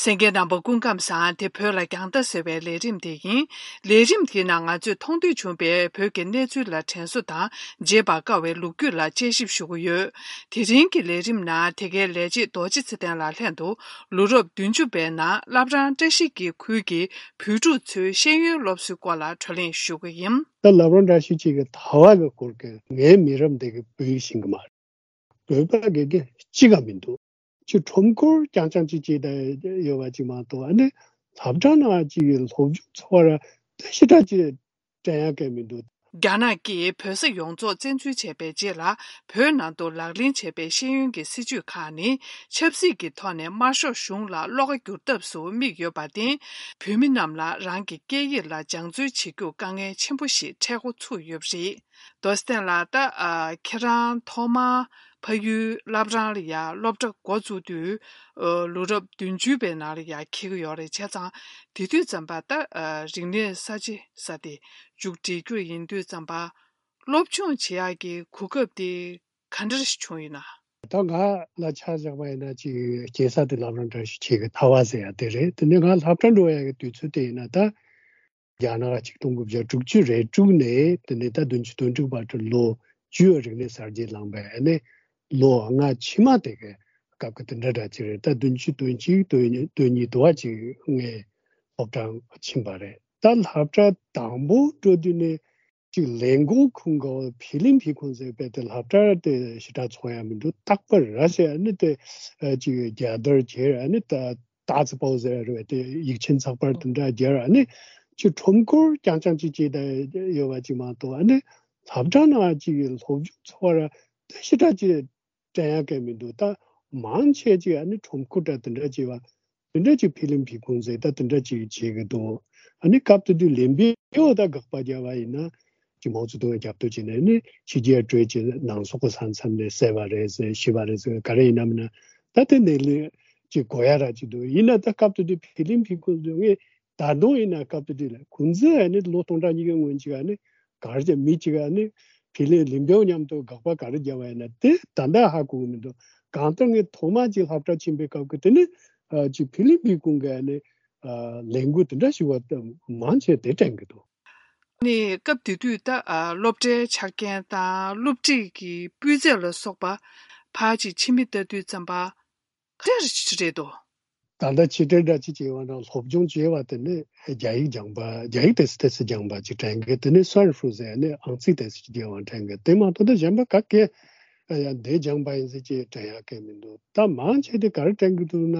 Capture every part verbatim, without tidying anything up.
གསན་མཁན་རྣམ་པ་སྐུ་ཁམས་བཟང་། དེ་བོད་ལ་རྒྱང་ལྟ་ཟེར་བའི་ལས་རིམ་དེ་ཡིན། ལས་རིམ་དེའི་ནང་ང་ཚོས་མཐོང་ཐོས་བྱུང་བའི་བོད་ཀྱི་གནས་ཚུལ་ལ་དྲན་གསོ་དང་བརྗེད་པར་དཀའ་བའི་ལོ་རྒྱུས་ལ་དཔྱད་ཞིབ་ཞུ་གི་ཡོད། དེ་རིང་གི་ལས་རིམ་ནང་དེ་གའི་ལས་བྱེད་རྡོ་རྗེ་ཚེ་བརྟན་ལགས་ལྷན་དུ་ལོ་རབས་བདུན་ཅུ་པའི་ནང་བླ་བྲང་བཀྲ་ཤིས་ཀྱི་ཁུལ་གྱི་བོད་ཕྲུག་ཚོའི་ཤེས་ཡོན་སློབ་གསོའི་སྐོར་ལ་བགྲོ་གླེང་ཞུ་གི་ཡིན། ད་བླ་བྲང་བཀྲ་ཤིས་ཀྱི་གི་ཐ་བ་གི་སྐོར་གྱི་ངའི་མི་རབས་འདི་གི་བོད་ཡིག་ཤེས་གི་མ་རེད། བོད་པ་དགེ་རྒན་གཅིག་ག་མི་འདུག་ཅིག་ཁྲོམ་སྐོར་རྐྱང་རྐྱང་ཅིག་བྱས་ད་ཡོད་པ་ཅིག་མ་གཏོགས། ཨ་ནི་སློབ་གྲྭ་ནང་ཅིག་གི་སློབ་སྦྱོང་འཚོ་བ་ར་དེ་ཞེ་དྲག་ཅིག་དྲན་ཡག་གི་མི་འདུག་རྒྱ་ནག་གིས་བོད་ས་ཡོངས་རྫོགས་བཙན་འཛུལ་བྱས་པའི་རྗེས་ལ། བོད་ནང་དུ་ལག་ལེན་བྱས་པའི་ཤེས་ཡོན་གྱི་སྲིད་བྱུས་ཁག་ནི། ཆབ་སྲིད་ཀྱི་ཐོག་ནས་དམར་ཤོག་གཞུང་ལ་བློ་ཁ་བསྒྱུར་ཐབས་སུ་དམིགས་ཡོད་པར་བརྟེན། བོད་མི་རྣམས་ལ་རང་གི་སྐད་ཡིག་ལ་སྦྱང་བརྩོན་བྱེད་རྒྱུར་དཀའ་ངལ་ཆེན་པོ་ཞིག་འཕྲད་འགོ་ཚུགས་ཡོད་པ་རེད། རྡོ་རྗེ་ལགས། ད་ཨ་ཁྱེད་རང་ཐོག་མར་ཕ་ཡུལ་བླ་བྲང་ལ་ཡ་སློབ་གྲྭ་འགོ་བཙུགས་དུས། ཨ་ལོ་རབས་བདུན་ཅུ་པའི་ནང་ལ་ཡ་འཁེལ་གྱི་ཡོད་རེད། བྱས་ཙང་དེ་དུས་ཙམ་པ་ད་ཨ་རིག་གནས་གསར་བརྗེ་ས་དེ་མཇུག་སྒྲིལ་རྒྱུ་ཡིན་དུས་ཙམ་པ། སློབ་སྦྱོང་བྱེད་ཡག་གི་གོ་སྐབས་དེ་ག་འདྲ་ཞིག་བྱུང་ཡོད་ན། ད་ང་ལ་ཆ་བཞག་པ་ཡིན་ན་ཅིག་སྐྱེས་ས་དེ་བླ་བྲང་བཀྲ་ཤིས་འཁྱིལ་གི་ཐ་བ་ཟེར་ཡ་དེ་རེད། དེ་ནས་ང་སློབ་གྲྭ་འགྲོ་ཡ་གི་དུས་ཚོད་དེ་ཡིན་ན་ད། རྒྱ་ནག་ཆིག་སྟོང་དགུ་བརྒྱ་དྲུག་ཅུ་རེ་དྲུག་ནས་དེ་ནས་ད་བདུན་ཅུ་དོན་དྲུག་བར་དུ་ལོ་བཅུ་རིག་གནས་གསར་བརྗེ་ལངས་པའི་ཨ་ནི་ལོ་ལྔ་ཕྱི་མ་དེ་གའི་སྐབས་ཀྱི་དེ་འདྲ་འདྲ་ཅིག་རེད། ད་བདུན་ཅུ་དོན་གཅིག་དོན་གཉིས་དོན་གཉིས་དུ་བ་ཅིག་ངས་སློབ་གྲྭ་ཕྱིན་པ་རེད། ད་སློབ་གྲྭ་དང་པོ་འགྲོ་དུས་ནས་ཅིག་ལས་འགོ་ཁུངས་ག་ཕི་ལིང་ཕི་ཁུང་ཟེར་བའི་དེ་སློབ་གྲྭ་དེ་ཞེ་དྲག་ཚོར་ཡ་མི་འདུག་རྟག་པར་ར་ཞེས་ཨ་ནི་དེ་ཅིག་རྒྱལ་དར་གྱེར་ཨ་ནི་ད། ཏཱ་ཙི་པའོ་ཟེར་བ་རེད་པས། དེ་ཡིག་ཆེན་ཚགས་པར་དེ་འདྲ་སྦྱར། ཨ་ནི་ཅིག་ཁྲོམ་སྐོར་རྐྱང་རྐྱང་ཅིག་བྱས་ད་ཡོད་པ་ཅིག་མ་གཏོགས། ཨ་ནི་སློབ་གྲྭ་ནང་ཅིག་གི་སློབ་སྦྱོང་འཚོ་བ་ར་དེ་ཞེ་དྲག་ཅིག་དྲན་ཡག་གི་མི་འདུག་ད་མང་ཆེ་ཅིག་ཨ་ནི་ཁྲོམ་སྐོར་འདྲ་དེ་འདྲ་བྱས་པ་དེ་འདྲ་ཅིག་ཕི་ལིང་ཕི་ཁུང་ཟེར་ད་དེ་འདྲ་ཅིག་བྱེད་གི་འདུག་ཨ་ནི་སྐབས་དེ་དུས་ལིན་པེའོ་ད་དགག་པ་རྒྱབ་པ་ཡིན་ན། ཅིག་མའོ་ཙེ་ཏུང་གི་རྒྱབ་སྐྱོར་བྱས་ནས་ནི་ཕྱི་རྒྱལ་སྤྲོད་ཅིག་ནང་སོག་གི་ས་མཚམས་ནས་བསད་པ་རེད་ཟེར་ཤི་བ་རེད་ཟེར་ག་རེ་ཡིན་ནམ་ན། ད་དེ་ནས་ལས་ཅིག་གོ་ཡ་ར་ཅིག་འདུག་ཡིན་ན་ད་སྐབས་དེ་དུས་ཕི་ལིང་ཕི་ཁུང་དུ་ངས་ད་དུང་ཡིན་ན་སྐབས་དེ་དུས་ལ་ཁུང་ཙི་ཨ་ནི་ལོ་སྟོང་ཕྲག་གཉིས་ཀའི་སྔོན་ཅིག་ཨ་ནི་ག་རེ་བྱས་མི་ཅིག་ཨ་ནི་ཕི་ལིང་ལིན་པེའོ་མཉམ་དུ་དགག་པ་ག་རེ་བརྒྱབ་པ་ཡིན་ན་དེ་ད་ལྟ་ཧ་གོ་གི་མི་འདུག་གང་ལྟར་ངས་ཐོག་མ་ཅིག་སློབ་གྲྭ་ཕྱིན་པའི་སྐབས་ཀྱི་དེ་ནི་ཨ་ཅིག་ཕི་ལིང་ཕི་ཁུང་གི་ཨ་ནི་ཨ་ལས་འགུལ་དེ་འདྲ་ཞིག་བ་མང་ཆེ་དེ་དྲན་གི་འདུག་ནི་སྐབས་དེ་དུས་ད་ཨ་སློབ་གྲྭའི་ཆ་རྐྱེན་དང་སློབ་ཁྲིད་ཀྱི་སྤུས་ཚད་ལ་སོགས་པ་ཕར་ཅིག་ཕྱི་མིག་ལྟ་དུས་ཙམ་པ་ག་འདྲ་ཞིག་རེད་འདུག་ད་ལྟ་ཕྱི་དྲིལ་འདྲ་ཅིག་བྱས་པ་ན་སློབ་སྦྱོང་བྱས་པ་དེ་ནི་རྒྱ་ཡིག་སྦྱངས་པ་རྒྱ་ཡིག་ཏོག་ཙམ་ཏོག་ཙམ་སྦྱངས་པ་ཅིག་དྲན་གི། དེ་ནི་སོན་ཧྥུ་ཟེར་ནི་ཨང་རྩིས་ཏོག་ཙམ་ཅིག་སྦྱངས་པ་དྲན་གི། དེ་མ་གཏོགས་ད་གཞན་པ་ག་གེ་ཡང་འདི་སྦྱངས་པ་ཡིན་ཟེར་ཅིག་དྲན་ཡག་གི་མི་འདུག་ད་མང་ཆེ་དེ་ག་རེ་དྲན་གི་འདུག་ན།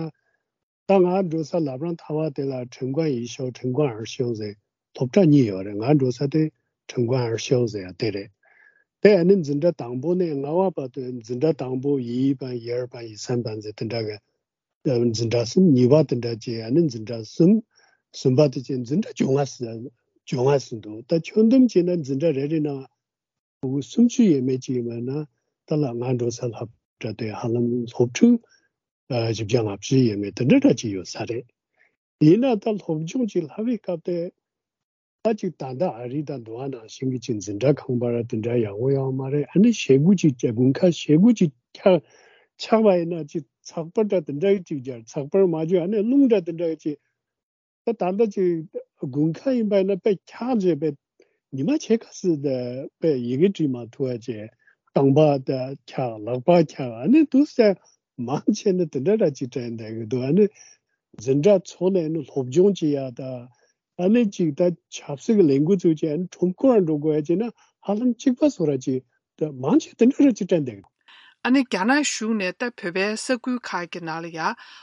ད་ང་འགྲོ་ས་ལབ་རང་ཐ་བ་དེ་ལ་ཁྲིན་ཀོང་ཡི་ཤའོ་ཁྲིན་ཀོང་ཨར་ཤའོ་ཟེར་སློབ་གྲྭ་གཉིས་ཡོད་རེད། ང་འགྲོ་ས་དེ་ཁྲིན་ཀོང་ཨར་ཤའོ་ཟེར་ཡ་དེ་རེད། དེ་ཨ་ནི་འཛིན་གྲྭ་དང་པོ་ནས་ལྔ་བ་བར་དུ་འཛིན་གྲྭ་དང་པོ་ཡི་པ་ཡར་པ་ཡི་སན་པ་ཟེར་དེ་འདྲ་གི་འཛིན་གྲྭ་གསུམ། གཉིས་པ་དེ་འདྲ་བྱས་ཨ་ནི་འཛིན་གྲྭ་གསུམ། གསུམ་པ་དེ་བྱས་འཛིན་གྲྭ་བཅོ་ལྔ་ཟེར་བཅོ་ལྔ་ཟེར་འདུག་ད་ཁྱོན་བསྡོམས་བྱས་ན་འཛིན་གྲྭ་རེ་རེ་ནང་ཕྲུ་གུ་སུམ་ཅུ་ཡས་མས་ཅིག་ཡིན་པ་ན་ད་ལ་ང་འགྲོ་ས་སློབ་གྲྭ་དེ་ཧ་ལམ་སློབ་ཕྲུག་ཨ་བཞི་བརྒྱ་ལྔ་བཅུ་ཡས་མས་དེ་འདྲ་འདྲ་ཅིག་ཡོད་ས་རེད། ཡིན་ན་ད་སློབ་སྦྱོང་ཅིག་ལྷབ་པའི་སྐབས་དེ་ད་ཅིག་ད་ལྟ་ཨ་རི་དང་འདུག་བ་ནང་བཞིན་གྱི་ཅིག་འཛིན་གྲྭ་ཁང་པ་ར་དེ་འདྲ་ཡག་པོ་ཡོད་མ་རེད། ཨ་ནི་ཞེ་དགུ་ཅིག་དགུན་ཁ་ཞེ་དགུ་ཅིག་ཆགས་ཆགས་པ་ཡིན་ན་ཅིག་ཚགས་པར་འདྲ་དེ་འདྲ་ཅིག་སྦྱར། ཚགས་པར་མ་བརྗོད་ཨ་ནི་རླུང་འདྲ་དེ་འདྲ་ཅིག་ད་ད་ལྟ་ཅིག་དགུན་ཁ་ཡིན་པ་ཡིན་ན་དཔེ་འཁྱག་བྱས་པའི་ཉི་མ་ཕྱེད་ཀ་ཙམ་དེ་དཔེ་ཡི་གེ་བྲིས་མ་ཐུབ་པ་བྱས། རྐང་པ་དེ་འཁྱག་ལག་པ་འཁྱག་ཨ་ནི་འདུག་སེ་མང་ཆེ་ནི་དེ་འདྲ་འདྲ་ཅིག་དྲན་བསྡད་གི་འདུག་ཨ་ནི་འཛིན་གྲྭ་ཚོགས་ནས་ནི་སློབ་སྦྱོང་བྱེད་ཡ་ད་ཨ་ནི་ཅིག་ད་ཆབ་སྲིད་ཀྱི་ལས་འགུལ་ཚུགས་བྱས་ཨ་ནི་ཁྲོམ་སྐོར་འགྲོ་དགོས་ཡ་བྱས་ན་ཧ་ལམ་གཅིག་པ་བཟོ་འདྲ་ཅིག་ད་མང་ཆེ་དེ་འདྲ་རེད་ཅེས་དྲན་བསྡད་ཀྱི་འདུག་ཨ་ནི་རྒྱ་ནག་གཞུང་ནས་ད་བོད་པའི་ས་ཁུལ་ཁག་གི་ནང་ལ་ཡ་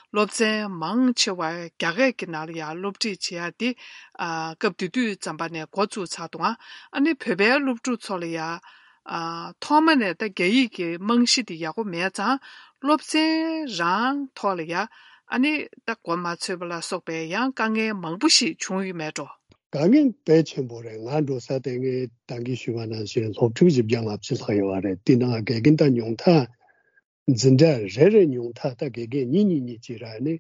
སློབ་ཚན་མང་ཆེ་བ་རྒྱ་སྐད་ཀྱི་ནང་ལ་ཡ་སློབ་ཁྲིད་བྱེད་ཡ་དེ་ཨ་སྐབས་དེ་དུས་ཙམ་པ་ནས་འགོ་བཙུགས་ཚར་འདུག་ཨ་ནི་བོད་པའི་སློབ་ཕྲུག་ཚོ་ལ་ཡ་ཨ་ཐོག་མ་ནས་ད་རྒྱ་ཡིག་གི་རྨང་གཞི་དེ་ཡག་པོ་མེད་ཙང་སློབ་ཚན་རང་ཐོག་ལ་ཡ་ཨ་ནི་ད་གོ་མ་ཆོད་པ་ལ་སོགས་པའི་ཡང་དཀའ་ངལ་མང་པོ་ཞིག་བྱུང་ཡོད་མེད་འགྲོ། དཀའ་ངལ་དཔེ་ཆེན་པོ་རེད། ང་འགྲོ་ས་དེ་ངས་ད་གིན་ཞུས་པ་ནང་བཞིན་སློབ་ཕྲུག་བཞི་བརྒྱ་ལྔ་བཅུ་ལྷག་ཡོད་པ་རེད། དེ་ནང་དགེ་རྒན་ད་ཉུང་མཐའ་འཛིན་གྲྭ་རེ་རེ་ཉུང་མཐའ་ད་དགེ་རྒན་གཉིས་གཉིས་གཉིས་ཅིག་ར་ནི་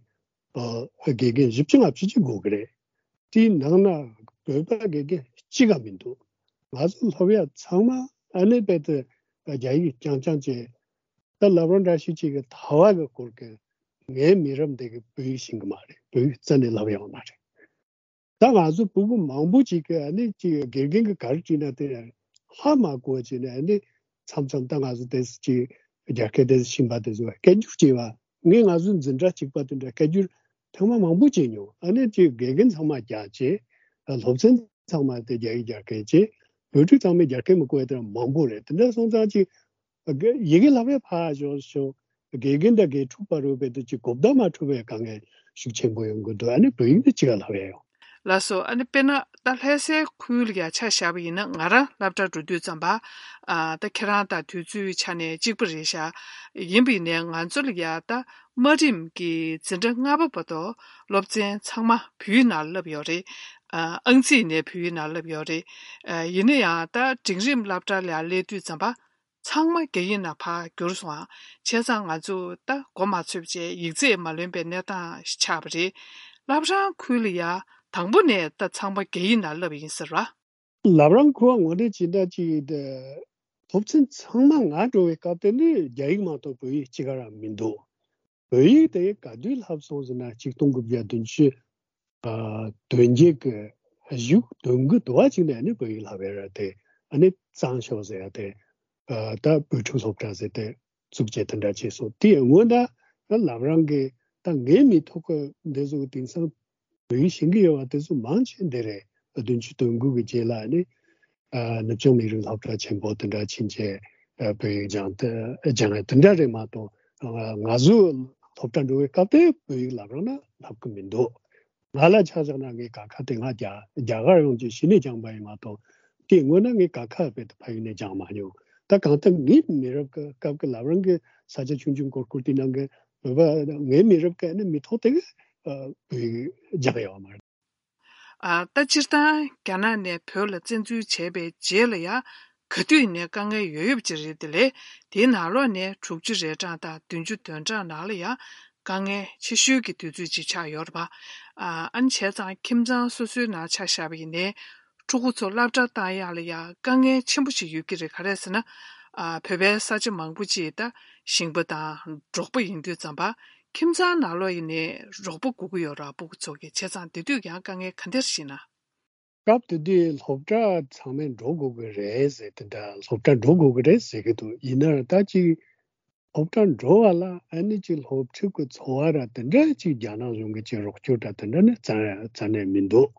ཨ་དགེ་རྒན་བཞི་བཅུ་ལྔ་བཅུ་ཅིག་དགོས་ཀྱི་རེད། དེའི་ནང་ན་བོད་པ་དགེ་རྒན་གཅིག་ག་མི་འདུག་ང་ཚོ་སློབ་ཡ་ཚང་མ་ཨ་ནི་དཔེ་དེ་རྒྱ་ཡིག་རྐྱང་རྐྱང་བྱས། ད་ལབ་རོགས་འདྲ་ཞིག་ཅིག་གི་ཐ་བ་གི་སྐོར་གི་ ངའི་མི་རབས་འདི་གི་བོད་ཡིག་ཤེས་ཀྱི་མ་རེད། བོད་ཡིག་རྩ་ནས་བསླབ་ཡོད་མ་རེད། ད་ང་ཚོ་བོད་པ་མང་པོ་ཅིག་གིས་ཨ་ནི་ཅིག་དགེ་རྒན་གྱིས་ག་རེ་བྲིས་ན་དེ་ཧ་མ་གོ་བ་བྱས་ནས། ཨ་ནི་མཚམས་མཚམས་ད་ང་ཚོ་དེ་ཅིག་རྒྱ་སྐད་དེ་ཤེས་པ་དེ་ཚོ་སྐད་སྒྱུར་བྱས་པ། ངས་ང་ཚོའི་འཛིན་གྲྭ་གཅིག་པ་དེ་འདྲ་སྐད་སྒྱུར་ཐེངས་མ་མང་པོ་བྱས་མྱོང་། ཨ་ནི་ཅིག་དགེ་རྒན་ཚང་མ་རྒྱག་བྱས། སློབ་ཚན་ཚང་མ་དེ་རྒྱ་ཡིག་རྒྱ་སྐད་བྱས། བོད་ཕྲུག་ཚང་མས་རྒྱ་སྐད་མི་གོ་བ་དེ་འདྲ་མང་པོ་རེད། དེ་འདྲ་སོང་ཙང་ཅིག་ཡི་གེ་བསླབ་པའི་ཕར་ཞོག་ཞོག་དགེ་རྒན་དང་དགེ་ཕྲུག་བར་རོལ་བའི་དུས་ཀྱི་གོ་བརྡ་མ་འཕྲོད་པའི་དཀའ་ངལ་ཤུགས་ཆེན་པོ་ཡོང་གི་འདུག་ཨ་ནི་བོད་ཡིག་ནི་ཅི་ག་ལབ་ཡ་ཡོང་། ལགས་སོ། ཨ་ནི་དཔེར་ན་ད་ལྷ་སའི་ཁུལ་ལ་ཡ་ཆ་བཞག་པ་ཡིན་ན། ང་རང་སློབ་གྲྭ་འགྲོ་དུས་ཙམ་པ། ཨ་ད་ཁྱེད་རང་དང་དུས་ཚོད་ཆ་ནས་གཅིག་པ་རེད་ཤག་ཡིན་པ་ཡིན་ནའི་ང་ཚོ་ལ་ཡ་ད་དམའ་རིམ་གྱི་འཛིན་གྲྭ་ལྔ་པ་བར་དུ་སློབ་ཚན་ཚང་མ་བོད་ཡིག་ནང་བསླབ་ཡོད་རེད། ཨ་ཨང་རྩིས་ནས་བོད་ཡིག་ནང་བསླབ་ཡོད་རེད། ཨ་ཡིན་ན་ཡང་ད་འབྲིང་རིམ་སློབ་གྲྭ་ལ་ཡ་སླེབས་དུས་ཙམ་པ། ཚང་མ་རྒྱ་ཡིག་ནང་ཕར་བསྒྱུར་སོང་ཨ། བྱས་ཙང་ང་ཚོ་ད་མགོ་མ་ཚོས་བྱས་ཡིག་ཚད་མ་ལོན་པའི་གནས་སྟངས་ཤིག་ཆགས་པ་རེད། བླ་བྲང་ཁུལ་ལ་ཡ་དང་པོ་ནས་ད་ཚང་མ་རྒྱ་ཡིག་ནང་བསླབས་ཡིན་ཟེར་བ། བླ་བྲང་ཁུལ་ངོས་ནས་ཇི་འདྲ་ཅིག་ད་སློབ་ཚན་ཚང་མ་ང་འགྲོ་བའི་སྐབས་དེ་ནས་རྒྱ་ཡིག་མ་གཏོགས་བོད་ཡིག་གཅིག་ག་རང་མི་འདུག་བོད་ཡིག་དེ་ག་དུས་བསླབས་སོང་ཟེར་ན། ཆིག་སྟོང་དགུ་བརྒྱ་བདུན་ཅུ་ཨ་དོན་བརྒྱད་ཀྱི་གཞུག་དོན་དགུ་དུ་བ་ཅིག་ནས་ཨ་ནི་བོད་ཡིག་བསླབ་ཡ་ར་དེ་ཨ་ནི་གཙང་ཤོག་ཟེར་ཡ་དེ། ཨ་ད་བོད་ཕྲུག་སློབ་གྲྭ་ཟེར་དེ་བཙུགས་བྱས་དེ་འདྲ་བྱས་སོང་། དེ་སྔོན་ད་བླ་བྲང་གི་ད་ངའི་མི་ཐོག་གི་འདི་ཚོ་དེང་སང་བོད་ཡིག་ཤེས་ཀྱི་ཡོད་པ་དེ་ཚོ་མང་ཆེ་འདི་རེད། བདུན་ཅུ་དོན་དགུ་གི་རྗེས་ལ་ཨ་ནི་ཨ་ནུབ་བྱང་མི་རིགས་སློབ་གྲྭ་ཆེན་པོ་དེ་འདྲ་ཕྱིན་བྱས་ཨ་བོད་ཡིག་སྦྱང་སྟེ་སྦྱང་ཡ་དེ་འདྲ་རེད་མ་གཏོགས། ཨ་ང་ཚོ་སློབ་གྲྭ་འགྲོ་བའི་སྐབས་དེ་བོད་ཡིག་བླ་བྲང་ན་བསླབ་ཀྱི་མི་འདུག་ང་ལ་ཆ་བཞག་ན་ངའི་ཀ་ཁ་དེ་ང་རྒྱ་རྒྱ་གར་ཡོང་རྗེས་གཞི་ནས་སྦྱངས་པ་ཡིན་མ་གཏོགས། དེའི་སྔོན་ན་ངས་ཀ་ཁ་བོད་ཕ་ཡུལ་ནས་སྦྱངས་མ་མྱོང་། ད་གང་ལྟར་ངའི་མི་རབས་ཀྱི་སྐབས་ཀྱི་བླ་བྲང་གི་ས་ཆ་ཆུང་ཆུང་ཀོར་ཀོར་དེ་ནང་གི་བོད་པ་ངའི་མི་རབས་ཀྱི་ནི་མི་ཐོག་དེ་གི་ཨ་བོད་ཡིག་སྦྱངས་ཡོད་མ་རེད། ཨ་ད་སྤྱིར་བཏང་རྒྱ་ནག་ནས་བོད་ལ་བཙན་འཛུལ་བྱས་པའི་རྗེས་ལ་ཡ་ག་དུས་ནས་དཀའ་ངལ་ཡོད་ཡོད་ཀྱི་རེད། དེ་ལས་དེའི་ནང་ལོགས་ནས་དྲུག་ཅུ་རེ་གྲངས་དང་བདུན་ཅུ་དོན་གྲངས་ནང་ལ་ཡ་དཀའ་ངལ་ཆེ་ཤོས་ཀྱི་དུས་ཚོད་ཅིག་ཆགས་ཡོད་རེད་པ། ཨ་ཨ་ནི་བྱས་ཙང་ཁྱིམ་ཚང་སོ་སོའི་ནང་ཆ་བཞག་པ་ཡིན་ནའི་ཕྲུ་གུ་ཚོ་སློབ་གྲྭ་བཏང་ཡག་ལ་ཡ་དཀའ་ངལ་ཆེན་པོ་ཞིག་ཡོད་ཀྱི་རེད། ག་རེ་ཟེར་ན། ཨ་བོད་པའི་ས་ཆ་མང་པོ་ཅིག་ད་ཞིང་པ་དང་འབྲོག་པ་ཡིན་དུས་ཙམ་པ། ཁྱིམ་ཚང་ནང་ལོགས་ཡིན་ནའི་རོགས་པ་དགོས་ཀྱི་ཡོད་རེད། ཕྲུ་གུ་ཚོ་གི། བྱས་ཙང་དེ་དུས་ཀྱང་དཀའ་ངལ་ག་འདྲ་ཞིག་ན། སྐབས་དེ་དུས་སློབ་གྲྭ་ཚང་མས་འགྲོ་དགོས་ཀྱི་རེད་ཟེར། དེ་འདྲ་སློབ་གྲྭ་འགྲོ་དགོས་ཀྱི་རེད་ཟེར་གྱི་འདུག་ཡིན་ན་ད་ཅིག་སློབ་གྲྭ་འགྲོ་བ་ལ་ཨ་ནི་ཅིག་སློབ་ཕྲུག་གི་འཚོ་བ་ར་དེ་འདྲ་ཅིག་རྒྱ་ནག་གཞུང་གི་ཅིག་རོགས་སྐྱོར་ར་དེ་འདྲ་ནི་རྩ་རྩ་ནས་མི་འདུག་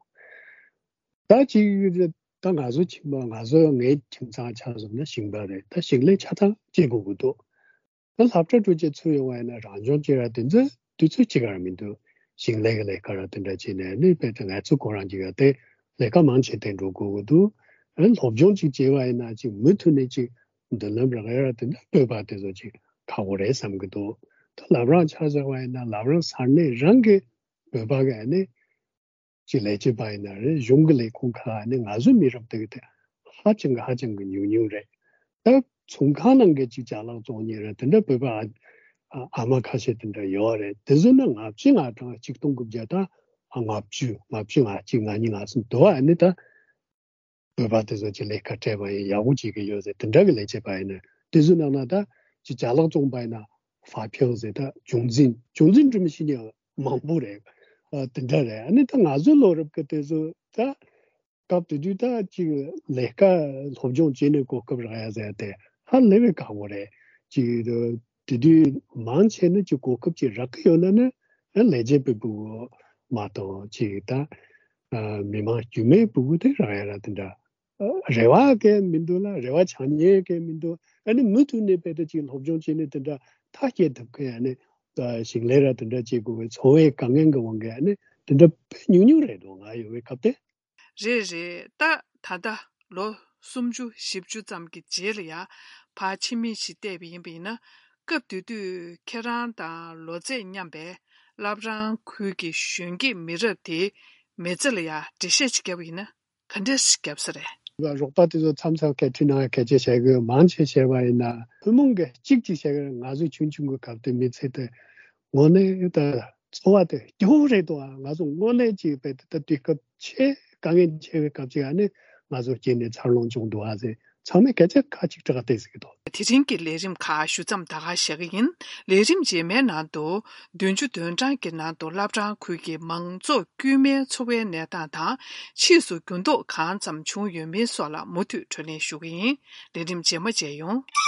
ད་ཅིག་ད་ང་ཚོ་ཁྱིམ་པ། ང་ཚོ་ངའི་ཁྱིམ་ཚང་ཆ་བཞག་ན་ཞིང་པ་རེད། ད་ཞིང་ལས་ཆ་ཚང་བྱེད་དགོས་ཀྱི་འདུག་ད་སློབ་གྲྭ་འགྲོ་བྱས་ཚུར་ཡོང་བ་ཡིན་ན་རང་སྦྱོང་བྱེད་ར་དེ་ཚོ་དུས་ཚོད་གཅིག་ག་ར་མི་འདུག་ཞིང་ལས་ཀྱི་ལས་ཀ་ར་དེ་འདྲ་བྱས་ནས་ནི་དཔེ་དེ་ང་ཚོ་ཁོ་རང་གཅིག་ག་དེ་ལས་ཀ་མང་ཆེ་དེ་འགྲོ་དགོས་ཀྱི་འདུག་ཨ་སློབ་སྦྱོང་གཅིག་བྱས་པ་ཡིན་ན་ཅིག་མུ་མཐུད་ནས་ཅིག་མདུན་ལམ་རག་ཡ་ར་དེ་འདྲ་བོད་པ་དེ་ཚོ་ཅིག་ཁག་པོ་རེད་བསམ་གྱི་འདུག་ད་བླ་བྲང་ཆ་བཞག་པ་ཡིན་ན་བླ་བྲང་ས་གནས་རང་གི་བོད་པ་གི་ཨ་ནི་ཅིག་ལས་བྱེད་པ་ཡིན་ན་རེད། གཞུང་གི་ལས་ཁུངས་ཁག་ནི་ང་ཚོའི་མི་རབས་དེ་གི་དེ་ཧ་ཅང་གི་ཧ་ཅང་གི་ཉུང་ཉུང་རེད། ད་ཚོང་ཁང་ནང་གི་ཅིག་ཅ་ལག་བཙོང་མཁན་རེད། དེ་འདྲ་བོད་པ་ཨ་ཨ་མ་ཁ་ཤས་དེ་འདྲ་ཡོད་རེད། དེ་ཚོ་ནི་ལྔ་བཅུ་ང་གྲངས་ཆིག་སྟོང་དགུ་བརྒྱ་དང་ལྔ་བཅུ་ལྔ་བཅུ་ང་གཅིག་ང་གཉིས་ང་གསུམ་དུ་བ་ནི་ད་བོད་པ་དེ་ཚོ་ཅིག་ལས་ཀ་སྤྲད་པ་ཡིན། ཡག་པོ་བྱེད་ཀྱི་ཡོད་ཟེར། དེ་འདྲ་གི་ལས་བྱེད་པ་ཡིན་ན། དེ་ཚོའི་ནང་ན་ད་ཅིག་ཅ་ལག་བཙོང་པ་ཡིན་ན་ཧྥ་ཕིང་ཟེར། ད་ཅུང་ཙིན་ཅུང་ཙིན་འགྲིམ་ཤེས་མཁན་མང་པོ་རེད། ཨ་དེ་འདྲ་རེད། ཨ་ནི་ད་ང་ཚོའི་ལོ་རབས་ཀྱི་དེ་ཚོ་ད་སྐབས་དེ་དུས་ད་ཅིག་ལས་ཀ་སློབ་སྦྱོང་བྱས་ནས་གོ་སྐབས་རག་ཡ་ཟེར་དེ་ཧ་ལས་པའི་ཁག་པོ་རེད། ཅིག་དེ་དུས་མང་ཆེ་ནི་ཅིག་གོ་སྐབས་ཅིག་རག་གི་ཡོད་ན་ནི་ཨ་ལས་བྱེད་པའི་ཕྲུ་གུ་མ་གཏོགས་ཅིག་ད་ཨ་མི་མང་དཀྱུས་མའི་ཕྲུ་གུ་དེ་རག་ཡ་ར་དེ་འདྲ་རེ་བ་གང་ཡང་མི་འདུག་ལ། རེ་བ་བྱེད་མཁན་གང་ཡང་མི་འདུག་ཨ་ནི་མུ་མཐུད་ནས་དཔེ་དེ་ཅིག་སློབ་སྦྱོང་བྱས་ནས་དེ་འདྲ་ཐག་བཅད་ཐུབ་མཁན་ཨ་ནི་ཞིང་ལས་ར་དེ་འདྲ་བྱེད་དགོས་པའི་འཚོ་བའི་དཀའ་ངལ་གྱི་དབང་གིས་ཨ་ནི་དེ་འདྲ་དཔེ་ཉུང་ཉུང་རེད་འདུག་ང་ཡོང་བའི་སྐབས་དེ། རེད་རེད། ད་ད་ལྟ་ལོ་སུམ་ཅུ་བཞི་བཅུ་ཙམ་གྱི་རྗེས་ལ་ཡ་ཕར་ཕྱི་མིག་ཅིག་བལྟས་པ་ཡིན་པ་ཡིན་ན། སྐབས་དེ་དུས་ཁྱེད་རང་དང་ལོ་ཚད་མཉམ་པའི་བླ་བྲང་ཁུལ་གྱི་གཞོན་སྐྱེས་མི་རབས་དེའི་མི་ཚེ་ལ་ཡ་འགྲེལ་བཤད་ཅིག་བརྒྱབ་པ་ཡིན་ན་ག་འདྲས་ཤིག་བརྒྱབ་ས་རེད། རོགས་པ་དེ་ཚོ་མཚམས་མཚམས་སྐད་འཕྲིན་ནང་སྐད་ཆ་བཤད་གི་ཡོད། མང་ཆེ་བཤད་པ་ཡིན་ན་ཐུན་མོང་གི་གཅིག་ཅིག་བཤད་གི་རེད། ང་ཚོ་ཆུང་ཆུང་གི་སྐབས་དེ་མི་ཚེ་དེ་དངོས་གནས་ད་འཚོ་བ་དེ་སྐྱོ་བོ་རེད་འདུག་ཨ། ང་ཚོ་དངོས་གནས་ཅིག་དཔེ་དེ་ད་དུས་སྐབས་ཆེས་དཀའ་ངལ་ཆེ་བའི་སྐབས་ཅིག་ཨ་ནི་ང་ཚོ་སྐྱེས་ནས་འཚར་ལོངས་བྱུང་འདུག་ཨ་ཟེར། ཚང་མས་སྐད་ཆ་ཁ་གཅིག་གྲགས་བལྟས་ཟེར་གི་འདུག་དེ་རིང་གི་ལས་རིམ་ཁག་ཞུ་མཚམས་ད་ག་བཞག་གི་ཡིན། ལས་རིམ་རྗེས་མའི་ནང་དུ། བདུན་ཅུ་དོན་གྲངས་ཀྱི་ནང་དུ་བླ་བྲང་ཁུལ་གྱི་མང་ཚོགས་དཀྱུས་མའི་འཚོ་བའི་གནས་སྟངས་དང་། ཕྱིས་སུ་འགྱུར་ལྡོག་གང་ཙམ་བྱུང་ཡོད་མིན་སོགས་ལ་མུ་མཐུད་བགྲོ་གླེང་ཞུ་གི་ཡིན། ལས་རིམ་རྗེས་མ་མཇལ་ཡོང་།